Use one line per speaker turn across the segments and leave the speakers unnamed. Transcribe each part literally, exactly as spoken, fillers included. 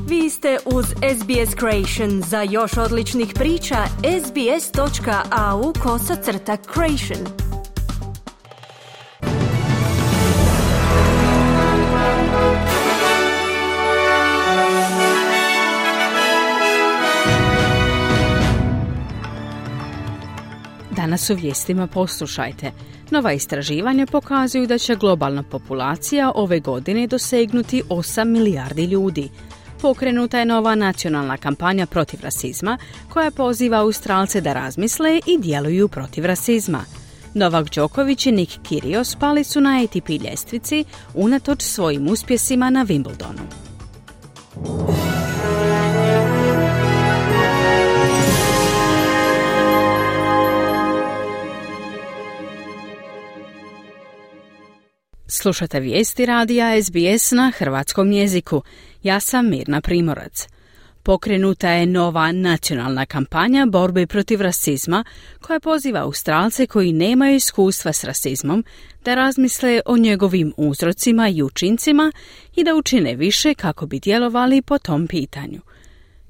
Vi ste uz S B S Creation. Za još odličnih priča, sbs.au kosacrta creation.
Danas u vijestima poslušajte. Nova istraživanja pokazuju da će globalna populacija ove godine dosegnuti osam milijardi ljudi. Pokrenuta je nova nacionalna kampanja protiv rasizma koja poziva Australce da razmisle i djeluju protiv rasizma. Novak Đoković i Nick Kyrgios pali su na A T P ljestvici unatoč svojim uspjesima na Wimbledonu. Slušate vijesti radija S B S na hrvatskom jeziku. Ja sam Mirna Primorac. Pokrenuta je nova nacionalna kampanja borbe protiv rasizma koja poziva Australce koji nemaju iskustva s rasizmom da razmisle o njegovim uzrocima i učincima i da učine više kako bi djelovali po tom pitanju.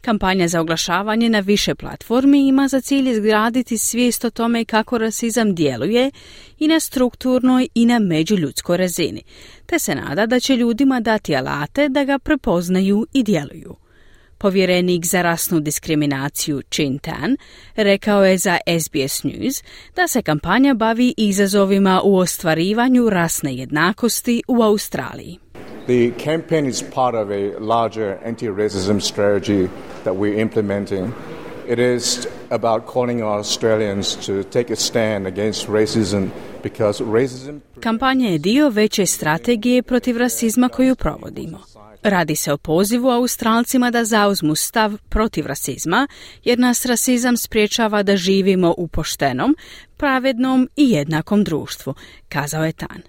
Kampanja za oglašavanje na više platformi ima za cilj izgraditi svijest o tome kako rasizam djeluje i na strukturnoj i na međuljudskoj razini, te se nada da će ljudima dati alate da ga prepoznaju i djeluju. Povjerenik za rasnu diskriminaciju Chin Tan rekao je za S B S News da se kampanja bavi izazovima u ostvarivanju rasne jednakosti u Australiji.
The campaign is part of a larger anti-racism strategy that we're implementing. It is about calling on Australians to take a stand against racism because racism...
Kampanja je dio veće strategije protiv rasizma koju provodimo. Radi se o pozivu Australcima da zauzmu stav protiv rasizma, jer nas rasizam spriječava da živimo u poštenom, pravednom i jednakom društvu, kazao je Tan.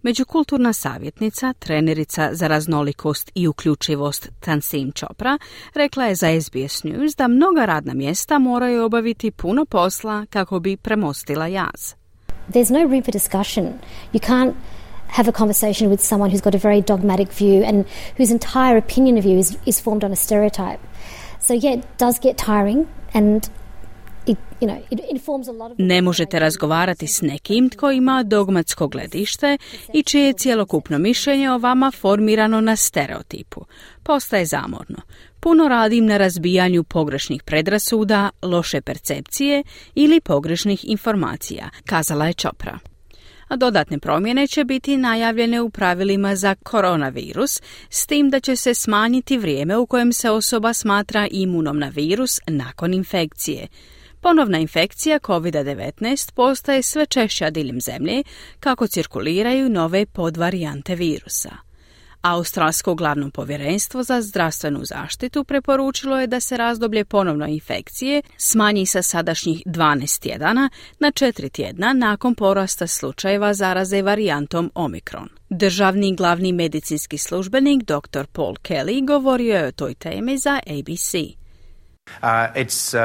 Međukulturna savjetnica, trenerica za raznolikost i uključivost Tansim Chopra rekla je za S B S News da mnoga radna mjesta moraju obaviti puno posla kako bi premostila jaz.
There's no room for discussion. You can't have a conversation with someone who's got a very dogmatic view and whose entire opinion of you is, is formed on a stereotype. So yeah, it does get tiring and It, you know, it informs a lot of...
Ne možete razgovarati s nekim tko ima dogmatsko gledište i čije je cjelokupno mišljenje o vama formirano na stereotipu. Postaje zamorno. Puno radim na razbijanju pogrešnih predrasuda, loše percepcije ili pogrešnih informacija, kazala je Chopra. A dodatne promjene će biti najavljene u pravilima za koronavirus, s tim da će se smanjiti vrijeme u kojem se osoba smatra imunom na virus nakon infekcije. Ponovna infekcija kovid devetnaest postaje sve češća diljem zemlje kako cirkuliraju nove podvarijante virusa. Australsko glavno povjerenstvo za zdravstvenu zaštitu preporučilo je da se razdoblje ponovne infekcije smanji sa sadašnjih dvanaest tjedana na četiri tjedna nakon porasta slučajeva zaraze varijantom Omikron. Državni glavni medicinski službenik dr Paul Kelly govorio je o toj temi za A B C.
Uh, it's uh,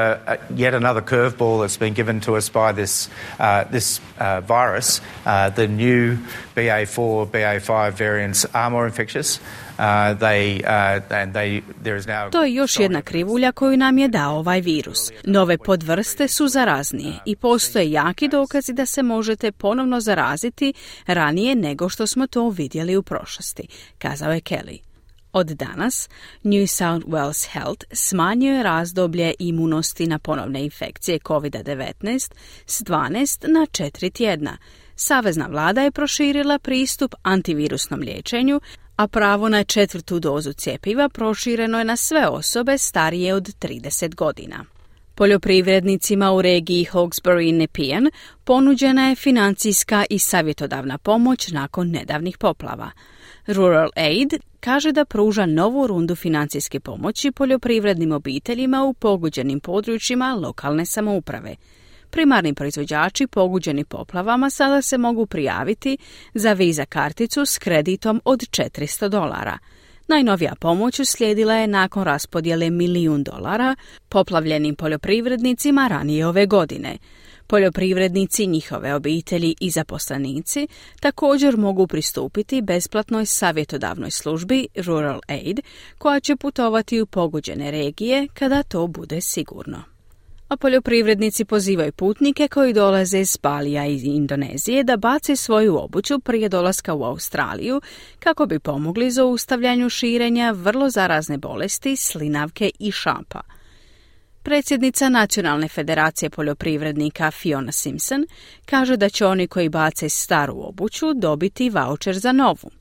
yet another curveball that's been given to us by this uh, this uh, virus. Uh, the new B A four, B A five variants are more infectious. Uh, they, uh, and they, there is now...
To je još jedna krivulja koju nam je dao ovaj virus. Nove podvrste su zaraznije i postoje jaki dokazi da se možete ponovno zaraziti ranije nego što smo to vidjeli u prošlosti, kazao je Kelly. Od danas New South Wales Health smanjuje razdoblje imunosti na ponovne infekcije kovid devetnaest s dvanaest na četiri tjedna. Savezna vlada je proširila pristup antivirusnom liječenju, a pravo na četvrtu dozu cjepiva prošireno je na sve osobe starije od trideset godina. Poljoprivrednicima u regiji Hawkesbury i Nepean ponuđena je financijska i savjetodavna pomoć nakon nedavnih poplava. Rural Aid kaže da pruža novu rundu financijske pomoći poljoprivrednim obiteljima u pogođenim područjima lokalne samouprave. Primarni proizvođači pogođeni poplavama sada se mogu prijaviti za Visa karticu s kreditom od četiristo dolara. Najnovija pomoć uslijedila je nakon raspodjele milijun dolara poplavljenim poljoprivrednicima ranije ove godine. Poljoprivrednici, njihove obitelji i zaposlenici također mogu pristupiti besplatnoj savjetodavnoj službi Rural Aid, koja će putovati u pogođene regije kada to bude sigurno. A poljoprivrednici pozivaju putnike koji dolaze iz Balija i Indonezije da bace svoju obuću prije dolaska u Australiju kako bi pomogli zaustavljanju širenja vrlo zarazne bolesti, slinavke i šapa. Predsjednica Nacionalne federacije poljoprivrednika Fiona Simpson kaže da će oni koji bace staru obuću dobiti vaučer za novu.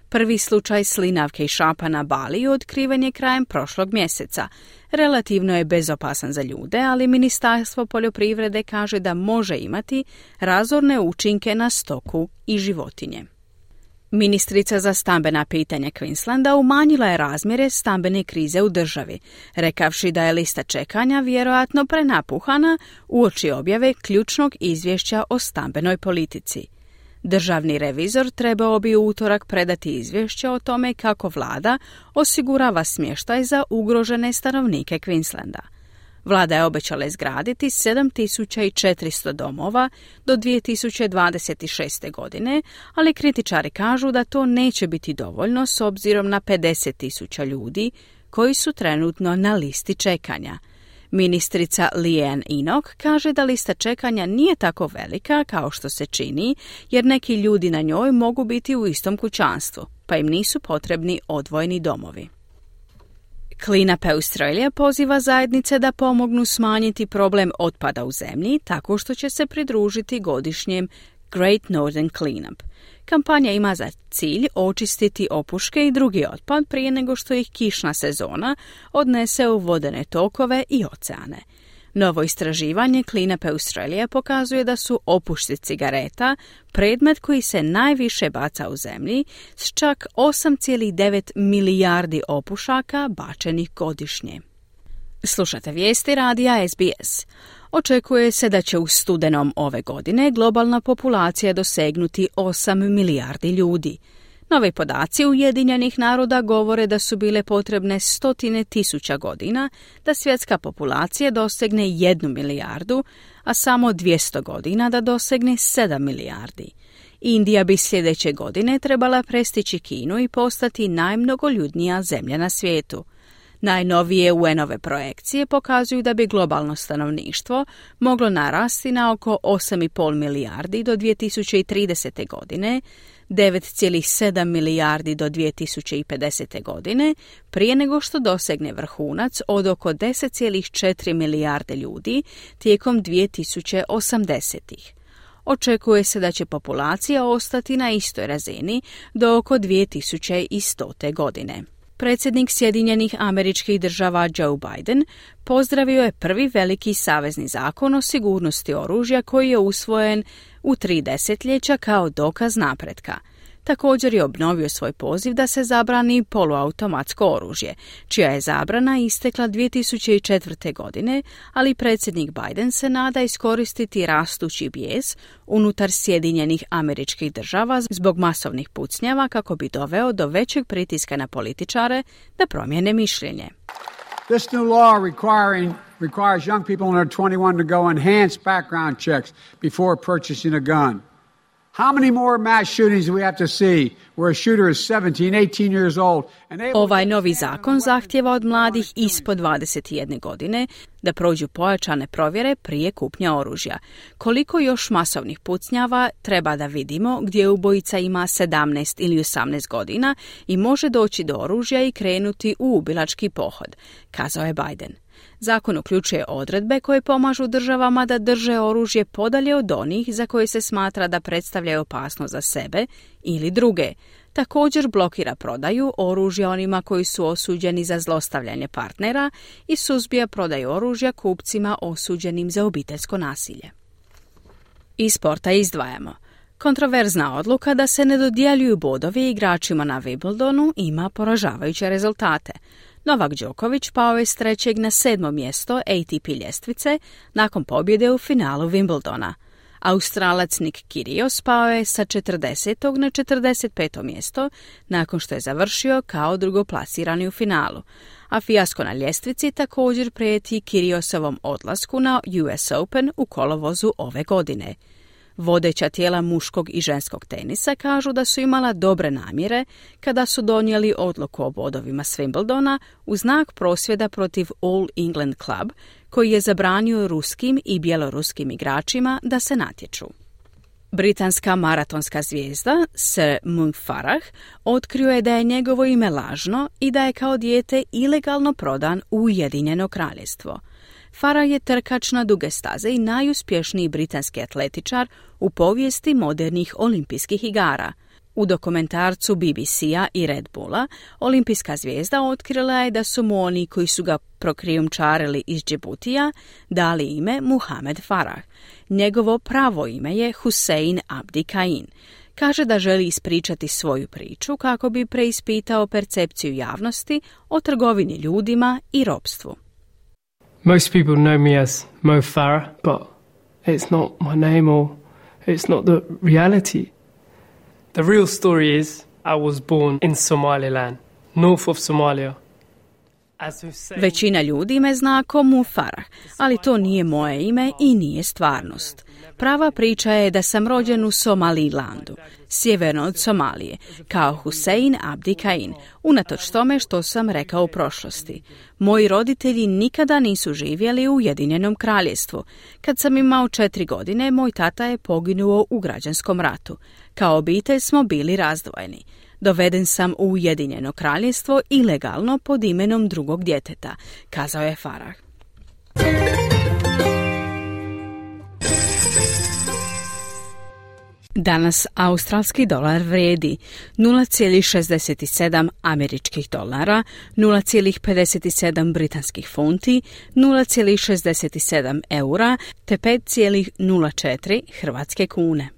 Prvi slučaj slinavke i šapa na Baliju otkriven je krajem prošlog mjeseca. Relativno je bezopasan za ljude, ali Ministarstvo poljoprivrede kaže da može imati razorne učinke na stoku i životinje. Ministrica za stambena pitanja Queenslanda umanjila je razmjere stambene krize u državi, rekavši da je lista čekanja vjerojatno prenapuhana uoči objave ključnog izvješća o stambenoj politici. Državni revizor trebao bi u utorak predati izvješće o tome kako vlada osigurava smještaj za ugrožene stanovnike Queenslanda. Vlada je obećala izgraditi sedam tisuća četiristo domova do dvije tisuće dvadeset šeste. godine, ali kritičari kažu da to neće biti dovoljno s obzirom na pedeset tisuća ljudi koji su trenutno na listi čekanja. Ministrica Leanne Enoch kaže da lista čekanja nije tako velika kao što se čini, jer neki ljudi na njoj mogu biti u istom kućanstvu, pa im nisu potrebni odvojeni domovi. Clean Up Australia poziva zajednice da pomognu smanjiti problem otpada u zemlji tako što će se pridružiti godišnjem Great Northern Cleanup. Kampanja ima za cilj očistiti opuške i drugi otpad prije nego što ih kišna sezona odnese u vodene tokove i oceane. Novo istraživanje Clean Up Australia pokazuje da su opušci cigareta predmet koji se najviše baca u zemlji s čak osam zarez devet milijardi opušaka bačenih godišnje. Slušate vijesti radija S B S. Očekuje se da će u studenom ove godine globalna populacija dosegnuti osam milijardi ljudi. Novi podaci Ujedinjenih naroda govore da su bile potrebne stotine tisuća godina da svjetska populacija dosegne jednu milijardu, a samo dvjesto godina da dosegne sedam milijardi. Indija bi sljedeće godine trebala prestići Kinu i postati najmnogoljudnija zemlja na svijetu. Najnovije U N-ove projekcije pokazuju da bi globalno stanovništvo moglo narasti na oko osam zarez pet milijardi do dvije tisuće tridesete. godine, devet zarez sedam milijardi do dvije tisuće pedesete. godine, prije nego što dosegne vrhunac od oko deset zarez četiri milijarde ljudi tijekom dvije tisuće osamdesetih. Očekuje se da će populacija ostati na istoj razini do oko dvije tisuće stote. godine. Predsjednik Sjedinjenih Američkih Država Joe Biden pozdravio je prvi veliki savezni zakon o sigurnosti oružja koji je usvojen u tri desetljeća kao dokaz napretka. Također je obnovio svoj poziv da se zabrani poluautomatsko oružje, čija je zabrana istekla dvije tisuće četvrte. godine, ali predsjednik Biden se nada iskoristiti rastući bijes unutar Sjedinjenih Američkih Država zbog masovnih pucnjava kako bi doveo do većeg pritiska na političare da promijene mišljenje.
This new law requiring requires young people under twenty-one to go enhanced background checks before purchasing a gun. How many more mass shootings do we have to see where a shooter is seventeen, eighteen years old? And
Ovaj novi zakon zahtjeva od mladih ispod dvadeset jedne godine da prođu pojačane provjere prije kupnje oružja. Koliko još masovnih pucnjava treba da vidimo gdje ubojica ima sedamnaest ili osamnaest godina i može doći do oružja i krenuti u ubilački pohod, kazao je Biden. Zakon uključuje odredbe koje pomažu državama da drže oružje podalje od onih za koje se smatra da predstavljaju opasnost za sebe ili druge. Također blokira prodaju oružja onima koji su osuđeni za zlostavljanje partnera i suzbija prodaju oružja kupcima osuđenim za obiteljsko nasilje. Iz sporta izdvajamo. Kontroverzna odluka da se ne dodjeljuju bodovi igračima na Wimbledonu ima poražavajuće rezultate. Novak Đoković pao je s trećeg na sedmo mjesto A T P ljestvice nakon pobjede u finalu Wimbledona. Australac Nick Kyrgios pao je sa četrdesetog na četrdeset peto mjesto nakon što je završio kao drugoplasirani u finalu, a fijasko na ljestvici također prijeti Kyrgiosovom odlasku na U S Open u kolovozu ove godine. Vodeća tijela muškog i ženskog tenisa kažu da su imala dobre namjere kada su donijeli odluku o bodovima s Wimbledona u znak prosvjeda protiv All England Club, koji je zabranio ruskim i bjeloruskim igračima da se natječu. Britanska maratonska zvijezda Sir Mo Farah otkrio je da je njegovo ime lažno i da je kao dijete ilegalno prodan u Ujedinjeno kraljevstvo. Farah je trkač na duge staze i najuspješniji britanski atletičar u povijesti modernih olimpijskih igara. U dokumentarcu B B C-a i Red Bulla olimpijska zvijezda otkrila je da su mu oni koji su ga prokrijumčarili iz Džibutija dali ime Muhamed Farah. Njegovo pravo ime je Hussein Abdi Kain. Kaže da želi ispričati svoju priču kako bi preispitao percepciju javnosti o trgovini ljudima i ropstvu.
Most people know me as Mo Farah, but it's not my name or it's not the reality. The real story is I was born in Somaliland, north of Somalia.
Većina ljudi me zna kao Mo Farah, ali to nije moje ime i nije stvarnost. Prava priča je da sam rođen u Somalilandu, sjeverno od Somalije, kao Hussein Abdi Kain, unatoč tome što sam rekao u prošlosti. Moji roditelji nikada nisu živjeli u Ujedinjenom kraljevstvu. Kad sam imao četiri godine, moj tata je poginuo u građanskom ratu. Kao obitelj smo bili razdvojeni. Doveden sam u Ujedinjeno kraljevstvo ilegalno pod imenom drugog djeteta, kazao je Farah. Danas australski dolar vrijedi nula zarez šezdeset sedam američkih dolara, nula zarez pedeset sedam britanskih funti, nula zarez šezdeset sedam eura te pet zarez nula četiri hrvatske kune.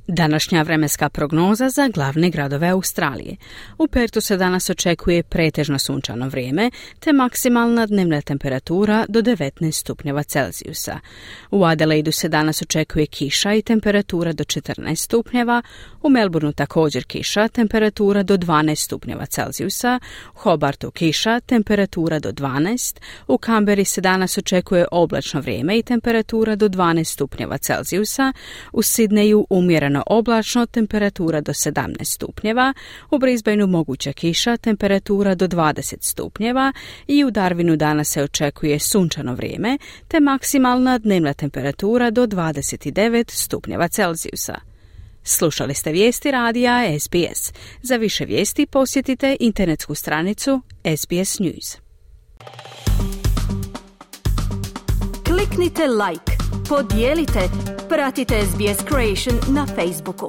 Današnja vremenska prognoza za glavne gradove Australije. U Pertu se danas očekuje pretežno sunčano vrijeme, te maksimalna dnevna temperatura do devetnaest stupnjeva Celzijusa. U Adelaidu se danas očekuje kiša i temperatura do četrnaest stupnjeva, u Melbourneu također kiša, temperatura do dvanaest stupnjeva Celzijusa, u Hobartu kiša, temperatura do dvanaest, u Canberri se danas očekuje oblačno vrijeme i temperatura do dvanaest stupnjeva Celzijusa, u Sidneju umjereno oblačno, temperatura do sedamnaest stupnjeva, u Brisbaneu moguća kiša, temperatura do dvadeset stupnjeva i u Darwinu danas se očekuje sunčano vrijeme, te maksimalna dnevna temperatura do dvadeset devet stupnjeva Celzijusa. Slušali ste vijesti radija S B S. Za više vijesti posjetite internetsku stranicu S B S News.
Kliknite like, podijelite, pratite S B S Creation na Facebooku.